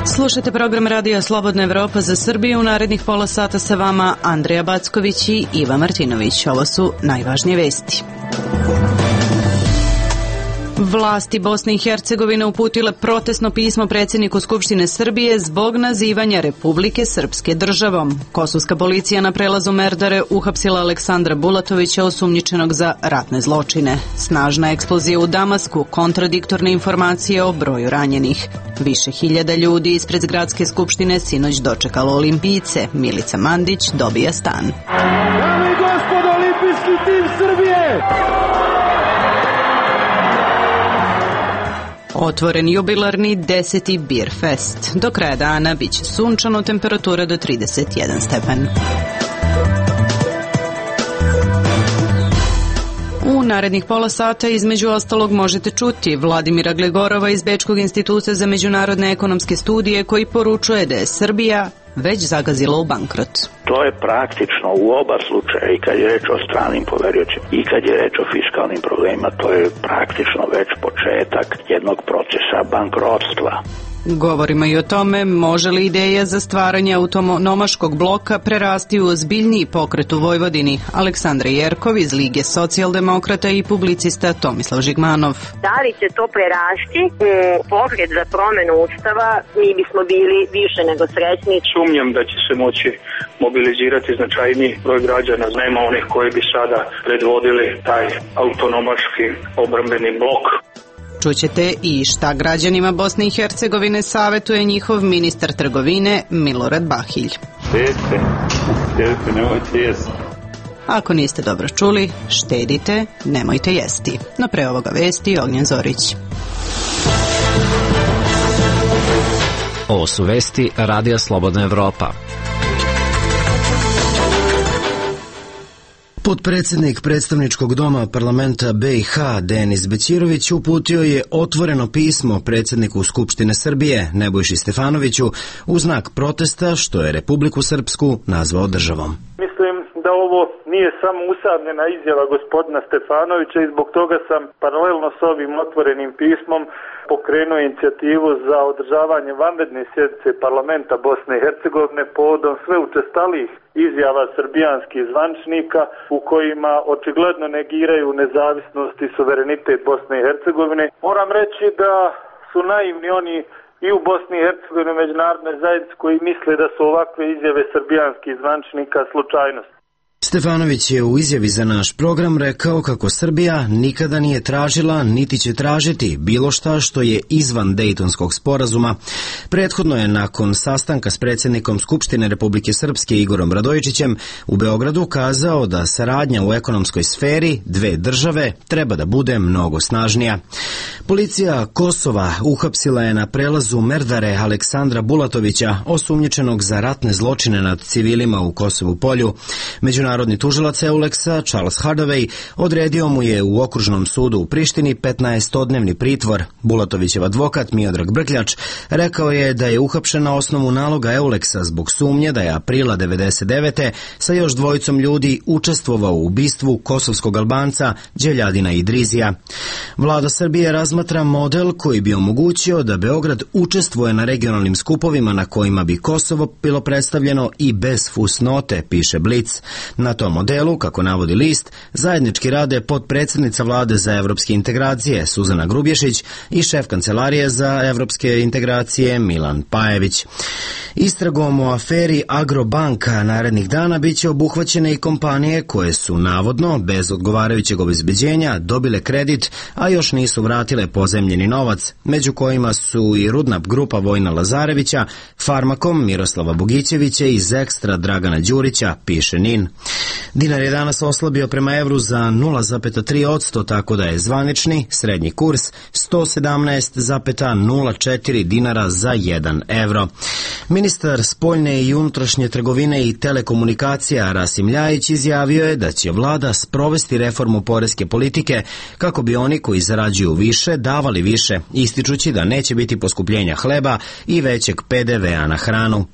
Slušajte program Radija Slobodna Evropa za Srbiju. U narednih pola sata sa vama Andreja Backović i Iva Martinović. Ovo su najvažnije vesti. Vlasti Bosne i Hercegovine uputile protestno pismo predsjedniku Skupštine Srbije zbog nazivanja Republike Srpske državom. Kosovska policija na prelazu Merdare uhapsila Aleksandra Bulatovića, osumnjičenog za ratne zločine. Snažna eksplozija u Damasku, kontradiktorne informacije o broju ranjenih. Više hiljada ljudi ispred Gradske skupštine sinoć dočekalo olimpijce. Milica Mandić dobija stan. Dame i gospodo, olimpijski tim Srbije! Otvoren jubilarni 10. Beer Fest. Do kraja dana biće sunčano, temperatura do 31 stepen. U narednih pola sata između ostalog možete čuti Vladimira Glegorova iz Bečkog instituta za međunarodne ekonomske studije koji poručuje da je Srbija već zagazila u bankrot. To je praktično u oba slučaja, i kad je reč o stranim poveriocima i kad je reč o fiskalnim problemima, to je praktično već početak jednog procesa bankrotstva. Govorimo i o tome može li ideja za stvaranje autonomaškog bloka prerasti u ozbiljniji pokret u Vojvodini. Aleksandra Jerkov iz Lige socijaldemokrata i publicista Tomislav Žigmanov. Da li će to prerasti u pokret za promenu Ustava, mi bismo bili više nego srećni. Sumnjam da će se moći mobilizirati značajniji broj građana. Nema onih koji bi sada predvodili taj autonomaški obrambeni blok. Čućete i šta građanima Bosne i Hercegovine savetuje njihov ministar trgovine Milorad Bahilj. Štedite, nemojte jesti. Ako niste dobro čuli, štedite, nemojte jesti. No pre ovoga vesti Ognjen Zorić. Ovo su vesti Radija Slobodna Evropa. Potpredsjednik predstavničkog doma parlamenta BiH Denis Bećirović uputio je otvoreno pismo predsjedniku Skupštine Srbije Nebojši Stefanoviću u znak protesta što je Republiku Srpsku nazvao državom. Mislim da ovo nije samo usamljena izjava gospodina Stefanovića i zbog toga sam paralelno s ovim otvorenim pismom pokrenuo inicijativu za održavanje vanredne sjednice parlamenta Bosne i Hercegovine povodom sve učestalijih izjava srbijanskih zvančnika u kojima očigledno negiraju nezavisnost i suverenitet Bosne i Hercegovine. Moram reći da su naivni oni i u Bosni i Hercegovini međunarodnoj zajednici koji misle da su ovakve izjave srbijanskih zvančnika slučajnost. Stefanović je u izjavi za naš program rekao kako Srbija nikada nije tražila niti će tražiti bilo šta što je izvan Dejtonskog sporazuma. Prethodno je nakon sastanka s predsjednikom Skupštine Republike Srpske Igorom Radojičićem u Beogradu kazao da saradnja u ekonomskoj sferi dve države treba da bude mnogo snažnija. Policija Kosova uhapsila je na prelazu Merdare Aleksandra Bulatovića, osumnjičenog za ratne zločine nad civilima u Kosovu Polju. Međunarodni tužilac Euleksa Charles Hardaway odredio mu je u okružnom sudu u Prištini 15-dnevni pritvor. Bulatovićev advokat Miodrag Brkljač rekao je da je uhapšen na osnovu naloga Euleksa zbog sumnje da je aprila 1999. sa još dvojicom ljudi učestvovao u ubistvu kosovskog Albanca Đeljadina Idrizija. Vlada Srbije razmatra model koji bi omogućio da Beograd učestvuje na regionalnim skupovima na kojima bi Kosovo bilo predstavljeno i bez fusnote, piše Blic. Na tom modelu, kako navodi list, zajednički rade potpredsjednica vlade za evropske integracije Suzana Grubješić i šef kancelarije za evropske integracije Milan Pajević. Istragom o aferi Agrobanka narednih dana biće obuhvaćene i kompanije koje su navodno, bez odgovarajućeg obezbeđenja, dobile kredit, a još nisu vratile pozemljeni novac, među kojima su i Rudnap grupa Vojna Lazarevića, Farmakom Miroslava Bogićevića i Zekstra Dragana Đurića, piše NIN. Dinar je danas oslabio prema evru za 0,3%, tako da je zvanični srednji kurs 117,04 dinara za 1 evro. Ministar spoljne i unutrašnje trgovine i telekomunikacija Rasim Ljajić izjavio je da će vlada sprovesti reformu poreske politike kako bi oni koji zarađuju više davali više, ističući da neće biti poskupljenja hleba i većeg PDV-a na hranu.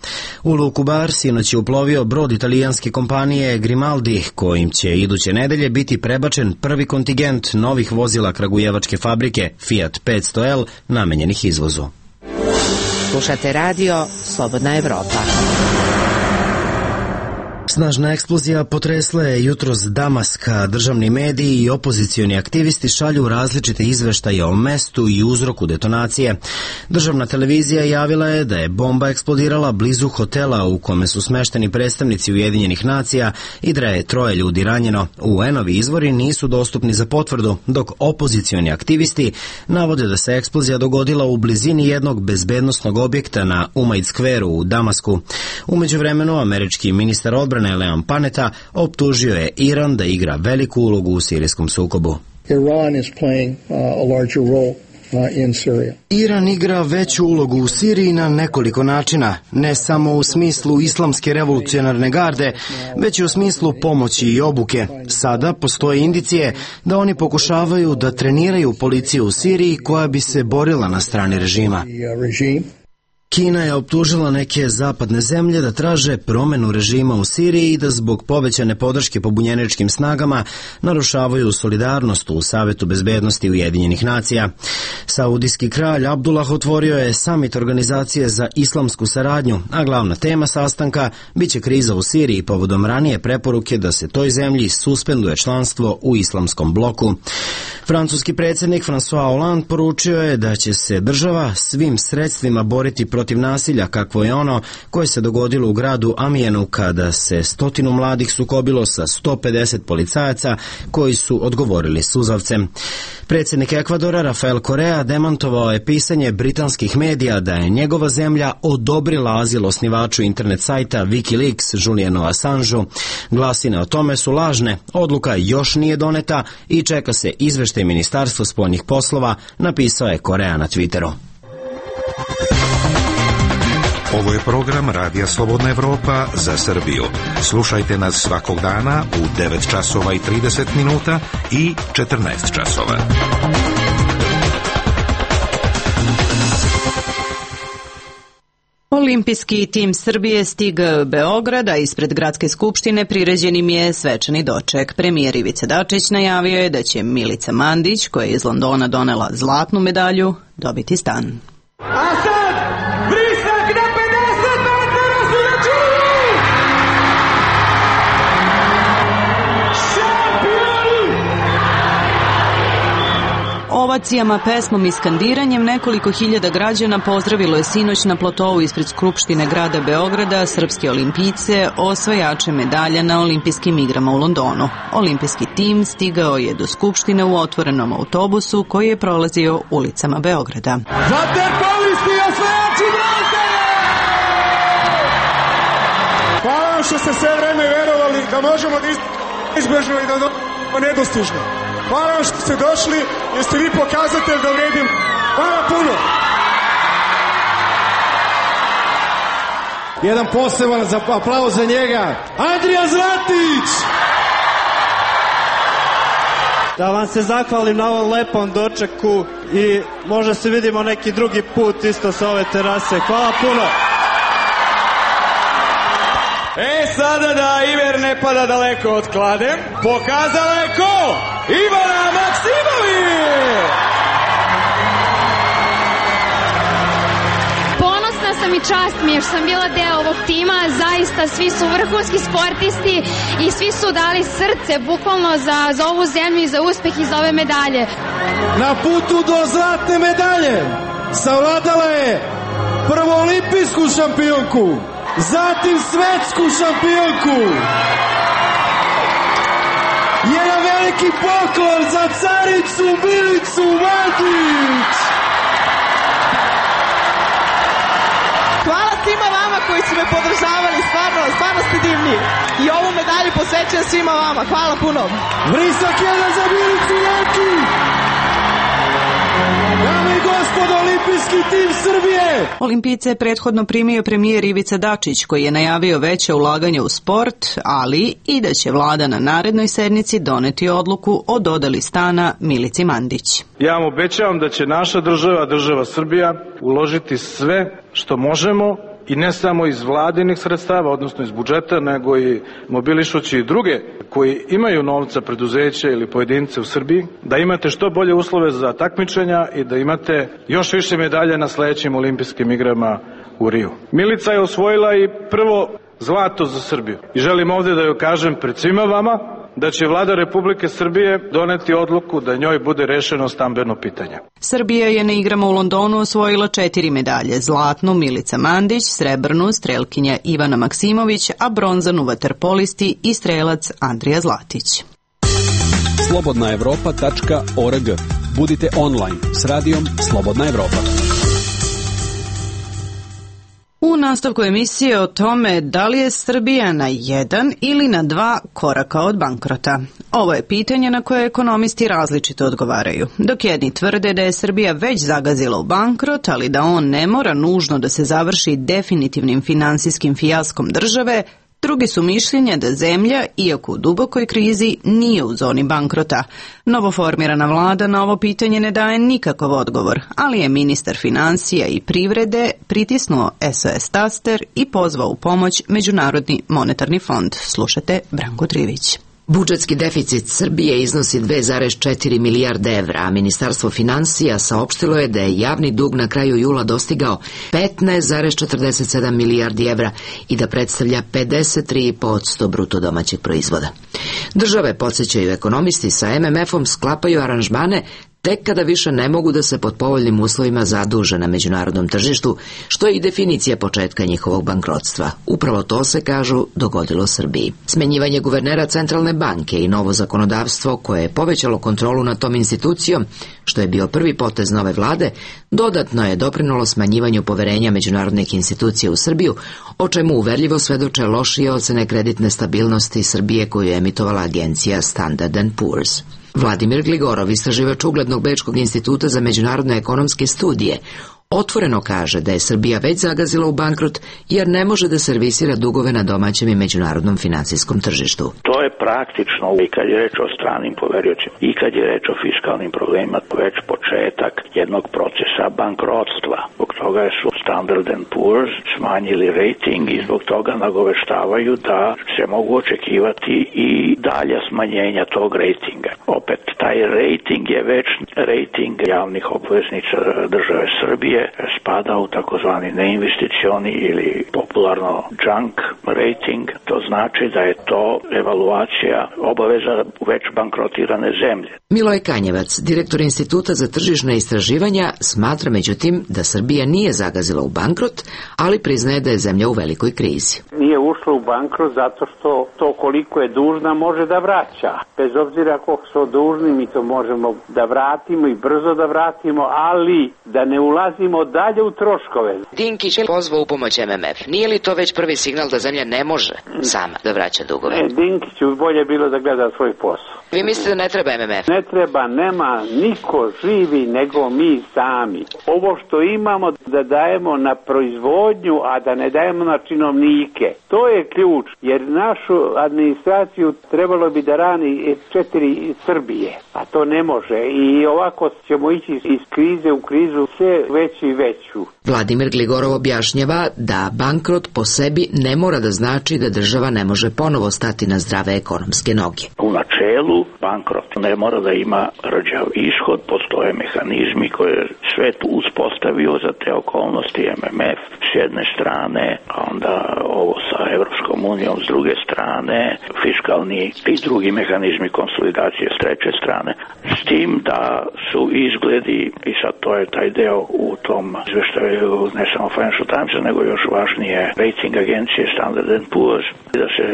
U Luku Bar sinoć je uplovio brod italijanske kompanije Grimaldi, kojim će iduće nedelje biti prebačen prvi kontingent novih vozila kragujevačke fabrike Fiat 500L namenjenih izvozu. Slušate radio Slobodna Evropa. Snažna eksplozija potresla je jutros Damaska. Državni mediji i opozicioni aktivisti šalju različite izveštaje o mestu i uzroku detonacije. Državna televizija javila je da je bomba eksplodirala blizu hotela u kome su smešteni predstavnici Ujedinjenih nacija i da je 3 ljudi ranjeno. UN-ovi izvori nisu dostupni za potvrdu, dok opozicioni aktivisti navode da se eksplozija dogodila u blizini jednog bezbednosnog objekta na Umaid Square u Damasku. U međuvremenu, američki ministar odbrane Leon Panetta optužio je Iran da igra veliku ulogu u sirijskom sukobu. Iran igra veću ulogu u Siriji na nekoliko načina, ne samo u smislu islamske revolucionarne garde, već i u smislu pomoći i obuke. Sada postoje indicije da oni pokušavaju da treniraju policiju u Siriji koja bi se borila na strani režima. Kina je optužila neke zapadne zemlje da traže promenu režima u Siriji i da zbog povećane podrške pobunjeničkim snagama narušavaju solidarnost u Savetu bezbednosti Ujedinjenih nacija. Saudijski kralj Abdullah otvorio je samit Organizacije za islamsku saradnju, a glavna tema sastanka biće kriza u Siriji povodom ranije preporuke da se toj zemlji suspenduje članstvo u islamskom bloku. Francuski predsjednik François Hollande poručio je da će se država svim sredstvima boriti protiv nasilja kakvo je ono koje se dogodilo u gradu Amijenu kada se 100 mladih sukobilo sa 150 policajaca koji su odgovorili suzavcem. Predsjednik Ekvadora Rafael Correa demantovao je pisanje britanskih medija da je njegova zemlja odobrila azil osnivaču internet sajta Wikileaks Julianu Assangeu. Glasine o tome su lažne, odluka još nije doneta i čeka se izveštaj Ministarstva spoljnih poslova, napisao je Correa na Twitteru. Ovo je program Radija Slobodna Evropa za Srbiju. Slušajte nas svakog dana u 9 časova i 30 minuta i 14 časova. Olimpijski tim Srbije stigao u Beograd, a ispred Gradske skupštine priređen im je svečani doček. Premijer Ivica Dačić najavio je da će Milica Mandić, koja je iz Londona donela zlatnu medalju, dobiti stan. A sad, vrisak na 50 metara su računi! Šampioni! Ovacijama, pesmom i skandiranjem nekoliko hiljada građana pozdravilo je sinoć na platovu ispred Skupštine grada Beograda srpske olimpijce, osvajače medalja na olimpijskim igrama u Londonu. Olimpijski tim stigao je do Skupštine u otvorenom autobusu koji je prolazio ulicama Beograda. Vaterpolisti i osvajači bronze! Hvala vam što ste sve vreme verovali da možemo da izbežno i da dobijemo nedostižno. Hvala vam što ste došli, jer ste vi pokazatelj da vredim. Hvala puno! Jedan poseban aplauz za njega. Andrija Zlatić! Da vam se zahvalim na ovom lepom dočeku i možda se vidimo neki drugi put isto sa ove terase. Hvala puno! Sada da Iver ne pada daleko od klade, pokazala je ko? Ivana Maksimović! Ponosna sam i čast mi je što sam bila deo ovog tima, zaista svi su vrhunski sportisti i svi su dali srce bukvalno za ovu zemlju i za uspeh i za ove medalje. Na putu do zlatne medalje savladala je prvo olimpijsku šampionku, zatim svetsku šampionku. Jedan veliki poklon za caricu Milicu Mandić. Hvala svima vama koji su me podržavali, stvarno ste divni. I ovu medalju posvećujem svima vama. Hvala puno. Vrisak jedan za Milicu Mandić. Dame i gospodo, olimpijski tim Srbije! Olimpijice je prethodno primio premijer Ivica Dačić, koji je najavio veće ulaganje u sport, ali i da će vlada na narednoj sednici doneti odluku o dodeli stana Milici Mandić. Ja vam obećavam da će naša država Srbija, uložiti sve što možemo i ne samo iz vladinih sredstava, odnosno iz budžeta, nego i mobilišući i druge koji imaju novca, preduzeća ili pojedince u Srbiji, da imate što bolje uslove za takmičenja i da imate još više medalja na sledećim olimpijskim igrama u Riju. Milica je osvojila i prvo zlato za Srbiju i želim ovde da joj kažem pred svima vama da će Vlada Republike Srbije doneti odluku da njoj bude rešeno stambeno pitanje. Srbija je na igrama u Londonu osvojila 4 medalje, zlatnu Milica Mandić, srebrnu strelkinja Ivana Maksimović, a bronzanu vaterpolisti i strelac Andrija Zlatić. slobodnaevropa.org. Budite online s radijom Slobodna Evropa. U nastavku emisije o tome da li je Srbija na 1 ili na 2 koraka od bankrota. Ovo je pitanje na koje ekonomisti različito odgovaraju. Dok jedni tvrde da je Srbija već zagazila u bankrot, ali da on ne mora nužno da se završi definitivnim finansijskim fijaskom države, drugi su mišljenja da zemlja, iako u dubokoj krizi, nije u zoni bankrota. Novoformirana vlada na ovo pitanje ne daje nikakav odgovor, ali je ministar finansija i privrede pritisnuo SOS taster i pozvao u pomoć Međunarodni monetarni fond. Slušate Branko Trivić. Budžetski deficit Srbije iznosi 2,4 milijarde evra, a Ministarstvo finansija saopštilo je da je javni dug na kraju jula dostigao 15,47 milijardi evra i da predstavlja 53% bruto domaćeg proizvoda. Države, podsjećaju ekonomisti, sa MMF-om sklapaju aranžmane tek kada više ne mogu da se pod povoljnim uslovima zaduže na međunarodnom tržištu, što je i definicija početka njihovog bankrotstva. Upravo to se, kažu, dogodilo Srbiji. Smenjivanje guvernera Centralne banke i novo zakonodavstvo koje je povećalo kontrolu nad tom institucijom, što je bio prvi potez nove vlade, dodatno je doprinulo smanjivanju poverenja međunarodnih institucija u Srbiju, o čemu uverljivo svedoče lošije ocene kreditne stabilnosti Srbije koju je emitovala agencija Standard & Poor's. Vladimir Gligorov, istraživač uglednog Bečkog instituta za međunarodne ekonomske studije, otvoreno kaže da je Srbija već zagazila u bankrot jer ne može da servisira dugove na domaćem i međunarodnom finansijskom tržištu. To je praktično i kad je reč o stranim poverioćima i kad je reč o fiskalnim problemima već početak jednog procesa bankrotstva. Zbog toga su Standard & Poor's smanjili rating i zbog toga nagoveštavaju da se mogu očekivati i dalja smanjenja tog ratinga. Opet, taj rating je već rating javnih obveznica države Srbije, spada u takozvani neinvesticioni ili popularno junk rating. To znači da je to evaluacija obaveza već bankrotirane zemlje. Miloj Kanjevac, direktor Instituta za tržišna istraživanja, smatra međutim da Srbija nije zagazila u bankrot, ali priznaje da je zemlja u velikoj krizi. Nije ušla u bankrot zato što to koliko je dužna može da vraća. Bez obzira koliko smo dužni, mi to možemo da vratimo i brzo da vratimo, ali da ne ulazimo dalje u troškove. Dinkić je pozvao u pomoć MMF. Nije li to već prvi signal da zemlja ne može sama da vraća dugove? Dinkiću bolje bilo da gleda svoj posao. Vi mislite da ne treba MMF? Ne treba, nema niko živi nego mi sami. Ovo što imamo da dajemo na proizvodnju, a da ne dajemo na činovnike. To je ključ, jer našu administraciju trebalo bi da rani 4 Srbije, a to ne može. I ovako ćemo ići iz krize u krizu sve veću i veću. Vladimir Gligorov objašnjava da bankrot po sebi ne mora da znači da država ne može ponovo stati na zdrave ekonomske noge. U načelu bankrot ne mora da ima rđav ishod, postoje mehanizmi koje je svet uspostavio za te okolnosti, MMF s jedne strane, a onda ovo sa Evropskom unijom s druge strane, fiskalni i drugi mehanizmi konsolidacije s treće strane, s tim da su izgledi, i sad to je taj deo u tom izveštaju ne samo Financial Timesa, nego još važnije rating agencije Standard & Poor's, da se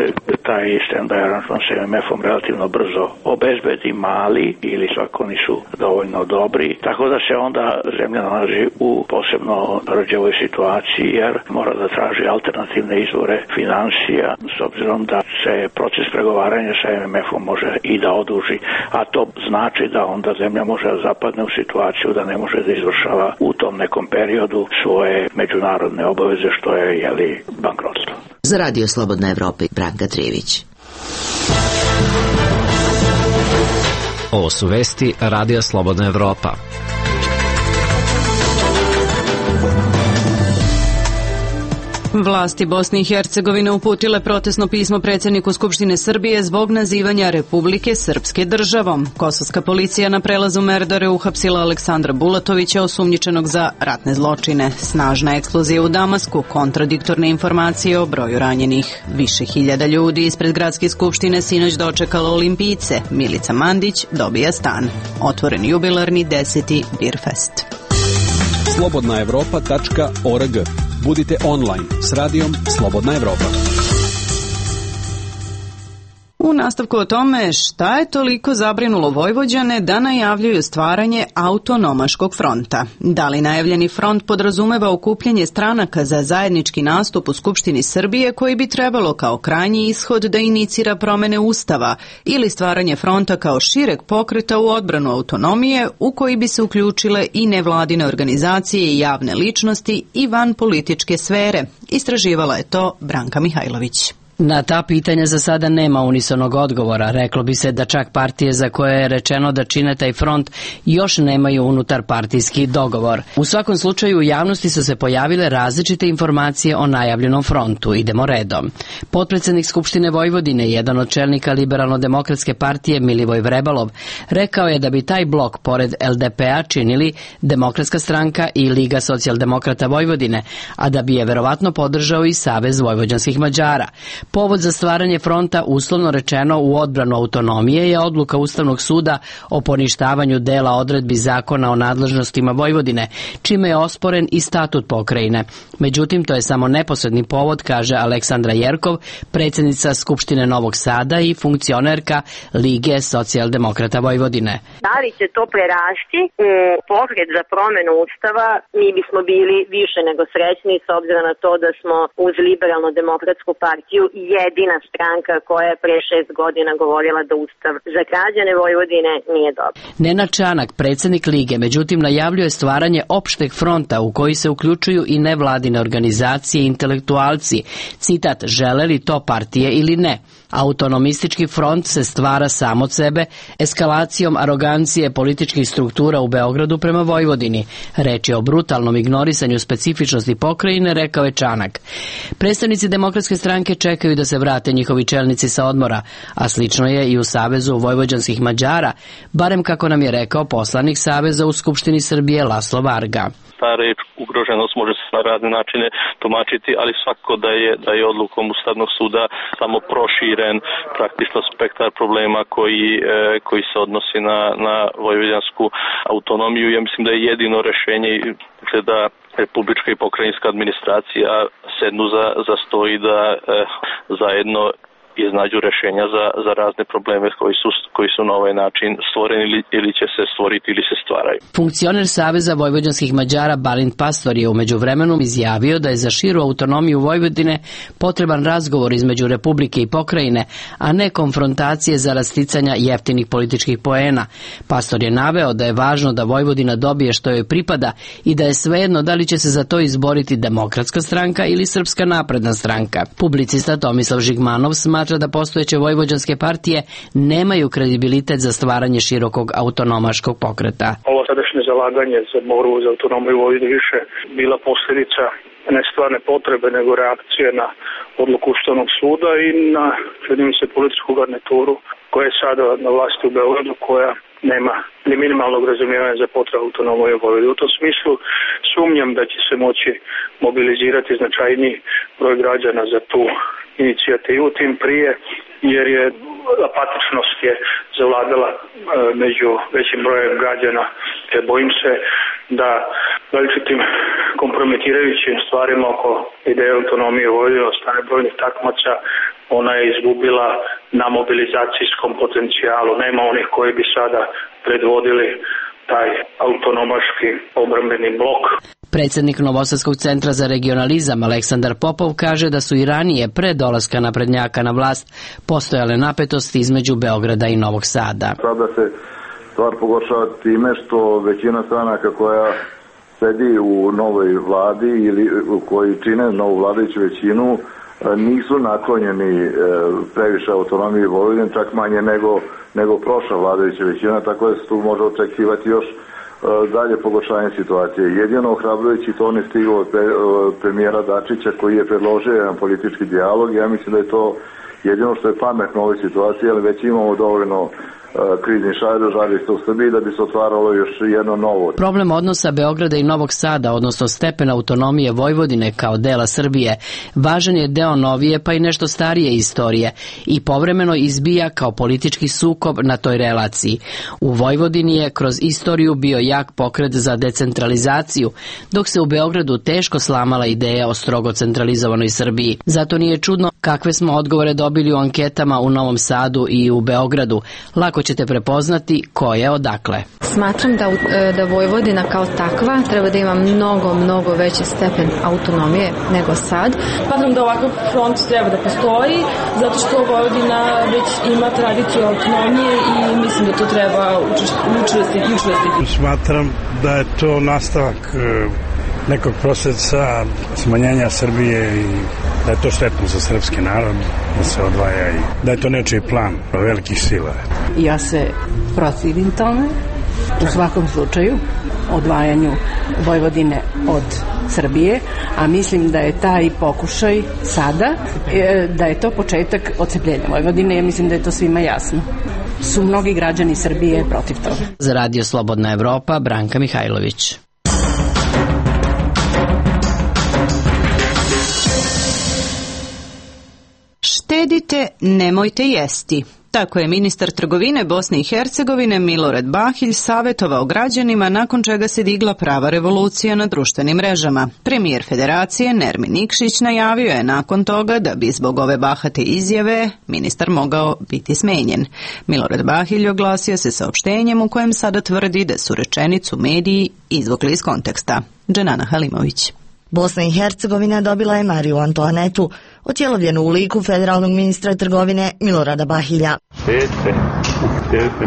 taj standby aranžman s MMF-om relativno brzo obezbedi mali ili svako nisu dovoljno dobri, tako da se onda zemlja nalazi u posebno rđavoj situaciji jer mora da traži alternativne izvore financija s obzirom da se proces pregovaranja sa MMF-om može i da oduži, a to znači da onda zemlja može da zapadne u situaciju da ne može da izvršava u tom nekom periodu svoje međunarodne obaveze što je bankrotstvo. Za Radio Slobodna Evropa, Branka Trivić. Ovo su vesti Radija Slobodna Evropa. Vlasti Bosne i Hercegovine uputile protestno pismo predsjedniku Skupštine Srbije zbog nazivanja Republike Srpske državom. Kosovska policija na prelazu Merdare uhapsila Aleksandra Bulatovića, osumnjičenog za ratne zločine. Snažna eksplozija u Damasku, kontradiktorne informacije o broju ranjenih. Više hiljada ljudi ispred gradske skupštine sinoć dočekalo Olimpijce. Milica Mandić dobija stan. Otvoren jubilarni 10. Birfest. Slobodnaevropa.org. Budite online s radijom Slobodna Evropa. U nastavku o tome šta je toliko zabrinulo Vojvođane da najavljuju stvaranje autonomaškog fronta. Da li najavljeni front podrazumeva okupljanje stranaka za zajednički nastup u Skupštini Srbije koji bi trebalo kao krajnji ishod da inicira promene Ustava ili stvaranje fronta kao šireg pokreta u odbranu autonomije u koji bi se uključile i nevladine organizacije i javne ličnosti i van političke sfere? Istraživala je to Branka Mihajlović. Na ta pitanja za sada nema unisonog odgovora. Reklo bi se da čak partije za koje je rečeno da čine taj front još nemaju unutar partijski dogovor. U svakom slučaju u javnosti su se pojavile različite informacije o najavljenom frontu. Idemo redom. Potpredsednik Skupštine Vojvodine, jedan od čelnika Liberalno-demokratske partije Milivoj Vrebalov, rekao je da bi taj blok pored LDP-a činili Demokratska stranka i Liga socijaldemokrata Vojvodine, a da bi je verovatno podržao i Savez vojvođanskih Mađara. Povod za stvaranje fronta, uslovno rečeno u odbranu autonomije, je odluka Ustavnog suda o poništavanju dela odredbi zakona o nadležnostima Vojvodine, čime je osporen i statut pokrajine. Međutim, to je samo neposredni povod, kaže Aleksandra Jerkov, predsjednica Skupštine Novog Sada i funkcionerka Lige socijaldemokrata Vojvodine. Da li će to prerasti u pokret za promenu Ustava, mi bismo bili više nego srećni s obzirom na to da smo uz Liberalno-demokratsku partiju jedina stranka koja je pre 6 godina govorila da Ustav za građane Vojvodine nije dobar. Nenad Čanak, predsjednik Lige, međutim najavljuje stvaranje opšteg fronta u koji se uključuju i nevladine organizacije i intelektualci. Citat, žele li to partije ili ne? Autonomistički front se stvara sam od sebe eskalacijom arogancije političkih struktura u Beogradu prema Vojvodini. Reč je o brutalnom ignorisanju specifičnosti pokrajine, rekao je Čanak. Predstavnici Demokratske stranke čekaju da se vrate njihovi čelnici sa odmora, a slično je i u Savezu vojvođanskih Mađara, barem kako nam je rekao poslanik Saveza u Skupštini Srbije Laslo Varga. Ta reč ugroženost može se na razne načine tumačiti, ali svakako da je odlukom Ustavnog suda samo proširen praktično spektar problema koji se odnosi na vojvođansku autonomiju. Ja mislim da je jedino rešenje da republička i pokrajinska administracija sednu za sto i da zajedno iznađu rešenja za razne probleme koji su na ovaj način stvoreni ili će se stvoriti ili se stvaraju. Funkcioner Saveza vojvođanskih Mađara Balint Pastor je u međuvremenu izjavio da je za širu autonomiju Vojvodine potreban razgovor između Republike i pokrajine, a ne konfrontacije zarad sticanja jeftinih političkih poena. Pastor je naveo da je važno da Vojvodina dobije što joj pripada i da je svejedno da li će se za to izboriti Demokratska stranka ili Srpska napredna stranka. Publicista Tomislav Žigmanov smatra da postojeće vojvođanske partije nemaju kredibilitet za stvaranje širokog autonomaškog pokreta. Ovo sadašnje zalaganje za borbu za autonomiju Vojvodine više bila posljedica ne stvarne potrebe, nego reakcije na odluku Ustavnog suda i na, čini se, političku garnituru koja je sada na vlasti u Beogradu, koja nema ni minimalnog razumijevanja za potrebu autonomije Vojvodine. U tom smislu sumnjam da će se moći mobilizirati značajniji broj građana za tu inicijativu, tim prije jer je apatičnost je zavladala među većim brojem građana. Bojim se da veličitim kompromitirajućim stvarima oko ideje autonomije Vojvodine od strane brojnih takmaca ona je izgubila na mobilizacijskom potencijalu. Nema onih koji bi sada predvodili taj autonomaški obrambeni blok. Predsjednik Novosadskog centra za regionalizam Aleksandar Popov kaže da su i ranije pre dolaska naprednjaka na vlast postojale napetosti između Beograda i Novog Sada. Sada se stvar pogoršava time što većina stranaka koja sedi u novoj vladi ili koji čine novu vladajuću većinu nisu naklonjeni previše autonomiji Vojvodine, čak manje nego prošla vladajuća većina, tako da se tu može očekivati još dalje pogoršanje situacije. Jedino ohrabrujući to ne stiglo od premijera Dačića koji je predložio jedan politički dijalog. Ja mislim da je to jedino što je pametno u ovoj situaciji, ali već imamo dovoljno krizni žarišta u Srbiji da bi se otvaralo još jedno novo. Problem odnosa Beograda i Novog Sada, odnosno stepen autonomije Vojvodine kao dela Srbije, važan je deo novije pa i nešto starije istorije i povremeno izbija kao politički sukob na toj relaciji. U Vojvodini je kroz istoriju bio jak pokret za decentralizaciju, dok se u Beogradu teško slamala ideja o strogo centralizovanoj Srbiji. Zato nije čudno kakve smo odgovore dobili u anketama u Novom Sadu i u Beogradu. Lako ćete prepoznati ko je odakle. Smatram da Vojvodina kao takva treba da ima mnogo veći stepen autonomije nego sad. Smatram da ovakav front treba da postoji, zato što Vojvodina već ima tradiciju autonomije i mislim da to treba učvrstiti. Smatram da je to nastavak nekog procesa smanjenja Srbije i da je to štetno za srpski narod, da se odvaja i da je to nečiji plan velikih sila. Ja se protivim tome, u svakom slučaju, odvajanju Vojvodine od Srbije, a mislim da je taj pokušaj sada, da je to početak odcepljenja Vojvodine, ja mislim da je to svima jasno. Su mnogi građani Srbije protiv toga. Za Radio Slobodna Evropa, Branka Mihajlović. Štedite, nemojte jesti. Tako je ministar trgovine Bosne i Hercegovine Milorad Bahilj savjetovao građanima, nakon čega se digla prava revolucija na društvenim mrežama. Premijer Federacije Nermin Nikšić najavio je nakon toga da bi zbog ove bahate izjave ministar mogao biti smenjen. Milorad Bahilj oglasio se saopštenjem u kojem sada tvrdi da su rečenicu mediji izvukli iz konteksta. Dženana Halimović. Bosna i Hercegovina dobila je Mariju Antoanetu, otjelovljenu u liku federalnog ministra trgovine Milorada Bahilja.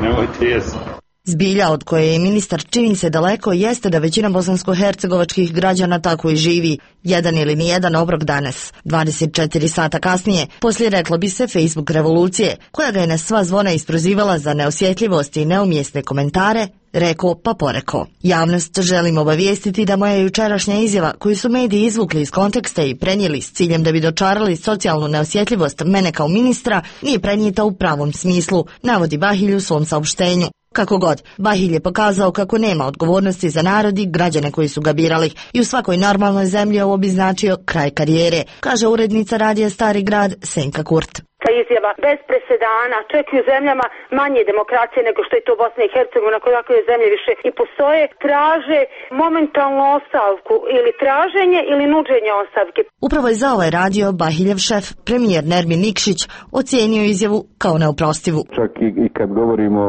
Nemojte jesti. Zbilja od koje je ministar čini se daleko jeste da većina bosansko-hercegovačkih građana tako i živi. Jedan ili nijedan obrok danas. 24 sata kasnije, poslije reklo bi se Facebook revolucije, koja ga je na sva zvona isprozivala za neosjetljivost i neumjesne komentare, reko pa poreko. Javnost želim obavijestiti da moja jučerašnja izjava, koju su mediji izvukli iz konteksta i prenijeli s ciljem da bi dočarali socijalnu neosjetljivost mene kao ministra, nije prenijeta u pravom smislu, navodi Bahilj u svom saopštenju. Kako god, Bahilj je pokazao kako nema odgovornosti za narod i građane koji su ga birali i u svakoj normalnoj zemlji ovo bi značio kraj karijere, kaže urednica radija Stari grad Senka Kurt. Ta izjava bez presedana, čak i u zemljama manje demokracije nego što je to Bosna i Hercegovina, koje ovakve zemlje više i postoje, traže momentalnu ostavku ili traženje ili nuđenje ostavke. Upravo je za ovaj radio Bahiljev šef, premijer Nermin Nikšić, ocijenio izjavu kao neoprostivu. Čak i kad govorimo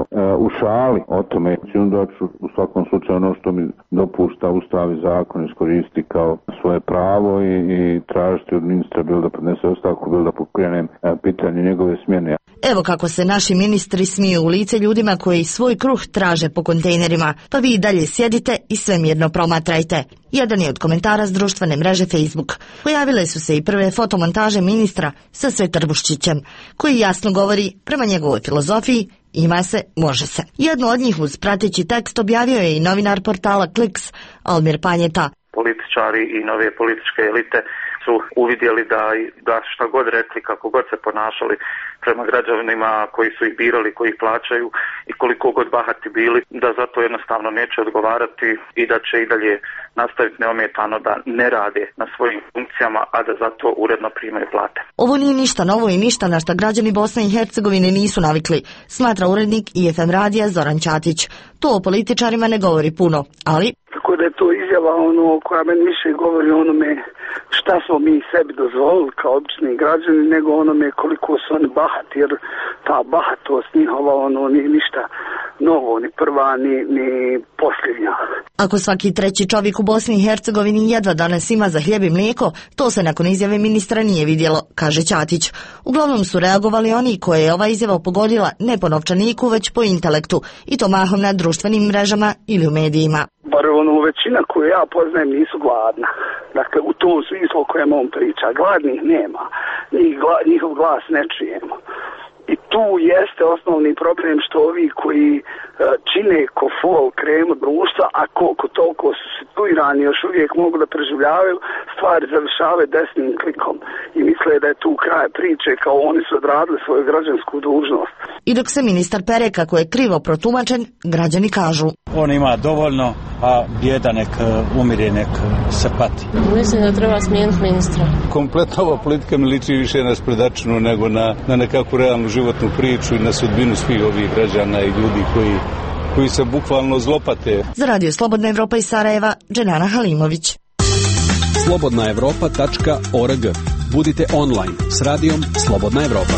u šali o tome, onda ću u svakom slučaju ono što mi dopušta Ustav i zakon iskoristiti kao svoje pravo i tražiti od ministra bilo da podnese ostavku, bilo da pokrenem pitanje njegove smjene. Evo kako se naši ministri smiju u lice ljudima koji svoj kruh traže po kontejnerima, pa vi i dalje sjedite i sve mirno promatrajte. Jedan je od komentara s društvene mreže Facebook. Pojavile su se i prve fotomontaže ministra sa Svetrbuščićem, koji jasno govori prema njegovoj filozofiji ima se, može se. Jedno od njih uz prateći tekst objavio je i novinar portala Kliks, Almir Panjeta. Političari i nove političke elite su uvidjeli da šta god rekli, kako god se ponašali prema građanima koji su ih birali, koji ih plaćaju i koliko god bahati bili, da zato jednostavno neće odgovarati i da će i dalje nastaviti neometano da ne rade na svojim funkcijama, a da zato uredno primaju plate. Ovo nije ništa novo i ništa na šta građani Bosne i Hercegovine nisu navikli, smatra urednik IFM radija Zoran Ćatić. To o političarima ne govori puno, ali... Tako da je to izjava koja meni više govori onome šta smo mi sebi dozvolili kao obični građani, nego onome koliko su oni bahati, jer ta bahatost njihova nije ništa novo, ni prva, ni posljednja. Ako svaki treći čovjek u Bosni i Hercegovini jedva danas ima za hljeb i mlijeko, to se nakon izjave ministra nije vidjelo, kaže Ćatić. Uglavnom su reagovali oni koje je ova izjava pogodila ne po novčaniku, već po intelektu, i to mahom na društvenim mrežama ili u medijima. Bar većina koju ja poznajem nisu gladna. Dakle, u tom smislu o kojem on priča. Gladnih nema. Njihov glas ne čujemo. I tu jeste osnovni problem što ovi koji čine ko fol kremu društva, a koliko toliko su situirani još uvijek mogu da preživljavaju, stvari završavaju desnim klikom i misle da je tu kraj priče, kao oni su odradili svoju građansku dužnost. I dok se ministar pere kako je krivo protumačen, građani kažu: on ima dovoljno, a bijeda nek umire, nek se pati. Mislim da treba smijeniti ministra. Kompletno ova politika mi liči više na sprdačinu nego na nekakvu realnu životnu priču i na sudbinu svih ovih građana i ljudi koji se bukvalno zlopate. Za Radio Slobodna Evropa iz Sarajeva, Dženana Halimović. slobodnaevropa.org. Budite online s radijom Slobodna Evropa.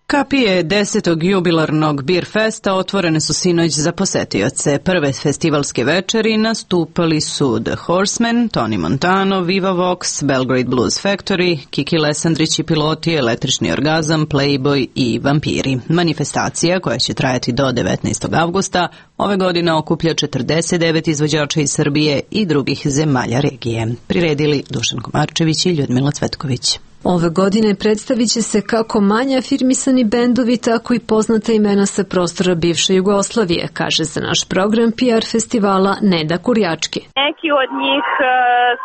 Kapije 10. jubilarnog Beer Festa otvorene su sinoć za posetioce. Prve festivalske večeri nastupali su The Horsemen, Tony Montano, Viva Vox, Belgrade Blues Factory, Kiki Lesandrić i Piloti, Električni orgazam, Playboy i Vampiri. Manifestacija, koja će trajati do 19. avgusta, ove godine okuplja 49 izvođača iz Srbije i drugih zemalja regije. Priredili Dušan Komarčević i Ljudmila Cvetković. Ove godine predstavit će se kako manje afirmisani bendovi, tako i poznata imena sa prostora bivše Jugoslavije, kaže za naš program PR festivala Neda Kurjački. Neki od njih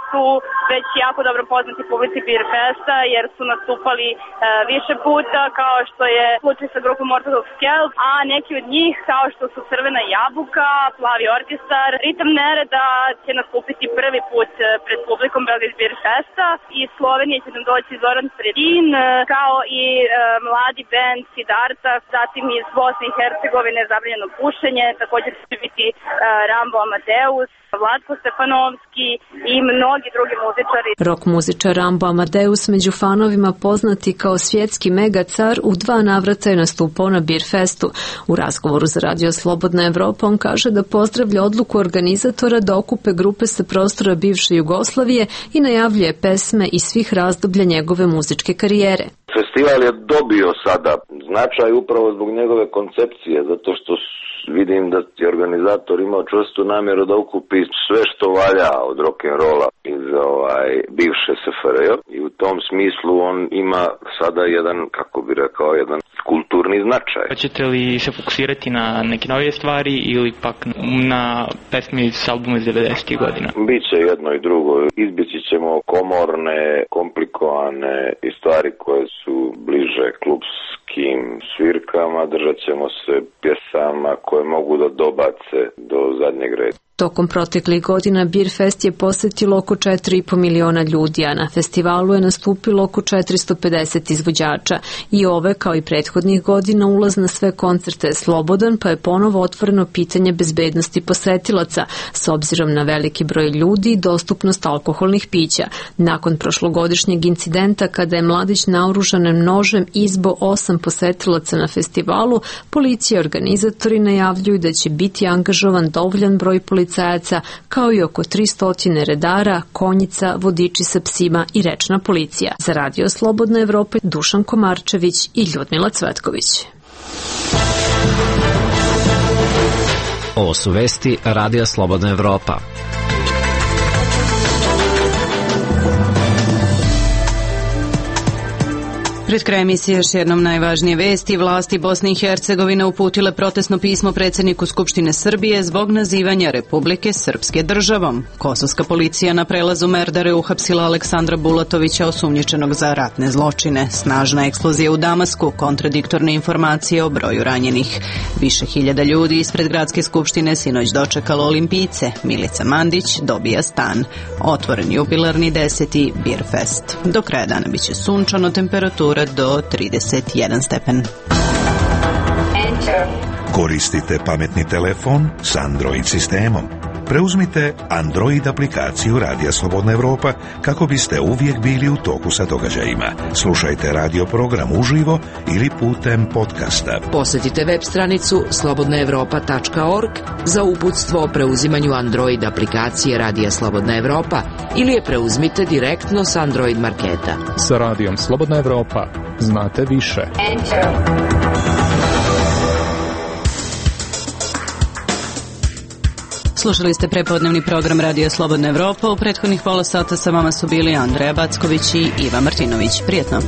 su već jako dobro poznati publici Beer Festa jer su nastupali više puta, kao što je slučaj sa grupom Orthodox Kelp, a neki od njih kao što su Crvena jabuka, Plavi orkestar, Ritam nereda će nastupiti prvi put pred publikom Belgrade Beer Festa. Iz Slovenije će nam doći Zoran Predin, kao i mladi band Siddharta, zatim iz Bosne i Hercegovine Zabranjeno pušenje, također će biti Rambo Amadeus, Vlatko Stefanovski i mnogi drugi muzičari. Rock muzičar Rambo Amadeus, među fanovima poznati kao svjetski megacar, u 2 navrata je nastupao na Beer Festu. U razgovoru za Radio Slobodna Evropa on kaže da pozdravlja odluku organizatora da okupe grupe sa prostora bivše Jugoslavije i najavljuje pesme iz svih razdoblja njegove muzičke karijere. Festival je dobio sada značaj upravo zbog njegove koncepcije, zato što vidim da je organizator imao čvrstu namjeru da ukupi sve što valja od rock'n'rolla iz bivše SFRJ i u tom smislu on ima sada jedan, kako bi rekao, jedan kulturni značaj. Hoćete li se fokusirati na neke novije stvari ili pak na pesme iz albuma iz 90. godina? Biće jedno i drugo. Izbjeći ćemo komorne, komplikovane i stvari koje su bliže klubskim svirkama, držat ćemo se pjesama koje mogu da dobace do zadnjeg reda. Tokom proteklih godina Beer Fest je posjetilo oko 4,5 miliona ljudi, a na festivalu je nastupilo oko 450 izvođača. I ove, kao i prethodnih godina, ulaz na sve koncerte je slobodan, pa je ponovo otvoreno pitanje bezbednosti posetilaca, s obzirom na veliki broj ljudi i dostupnost alkoholnih pića. Nakon prošlogodišnjeg incidenta, kada je mladić naoružan nožem izbo 8 posetilaca na festivalu, policija i organizatori najavljuju da će biti angažovan dovoljan broj policajaca, kao i oko 300 redara, konjica, vodiči sa psima i rečna policija. Za Radio Slobodna Evropa, Dušan Komarčević i Ljudmila Cvetković. Ovo su vesti Radija Slobodna Evropa. Pred kraj emisije još jednom najvažnije vesti. Vlasti Bosne i Hercegovine uputile protestno pismo predsjedniku Skupštine Srbije zbog nazivanja Republike Srpske državom. Kosovska policija na prelazu Merdare uhapsila Aleksandra Bulatovića, osumnjičenog za ratne zločine. Snažna eksplozija u Damasku, kontradiktorne informacije o broju ranjenih. Više hiljada ljudi ispred gradske skupštine sinoć dočekalo olimpijce. Milica Mandić dobija stan. Otvoren jubilarni 10. Beer Fest. Do kraja dana biće sunčano, temperatura do 31 stepen. Koristite pametni telefon s Android sistemom. Preuzmite Android aplikaciju Radija Slobodna Evropa kako biste uvijek bili u toku sa događajima. Slušajte radio program uživo ili putem podcasta. Posjetite web stranicu slobodnaevropa.org za uputstvo o preuzimanju Android aplikacije Radija Slobodna Evropa ili je preuzmite direktno s Android marketa. Sa Radijom Slobodna Evropa znate više. Slušali ste prepodnevni program Radija Slobodna Evropa. U prethodnih pola sata sa vama su bili Andreja Backović i Iva Martinović. Prijetno.